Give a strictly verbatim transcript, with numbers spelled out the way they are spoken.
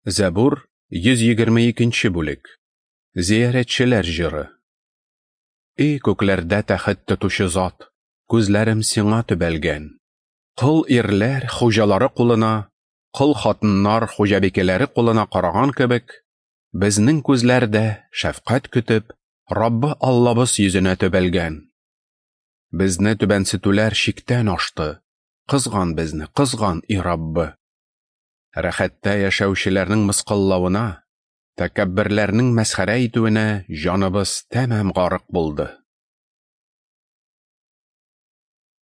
Зәбур, йөз егерме икенче бүлек. Зиярәтчеләр җыры. Эй, күкләрдә тәхет тотучы зат, күзләрем сиңа төбәлгән. Кол ирләр хуҗалары кулына, кол хатыннар хуҗабикәләре кулына караган кебек, безнең күзләр дә шәфкать көтеп, Раббы Аллабыз йөзенә төбәлгән. Безне түбәнсетүләр чиктән ашты. Кызган безне, кызган, и Раббы. Рәхәттә яшәүчеләрнең мыскыллавына, тәкәбберләрнең мәсхәрә итүенә җаныбыз тәмам гарык булды.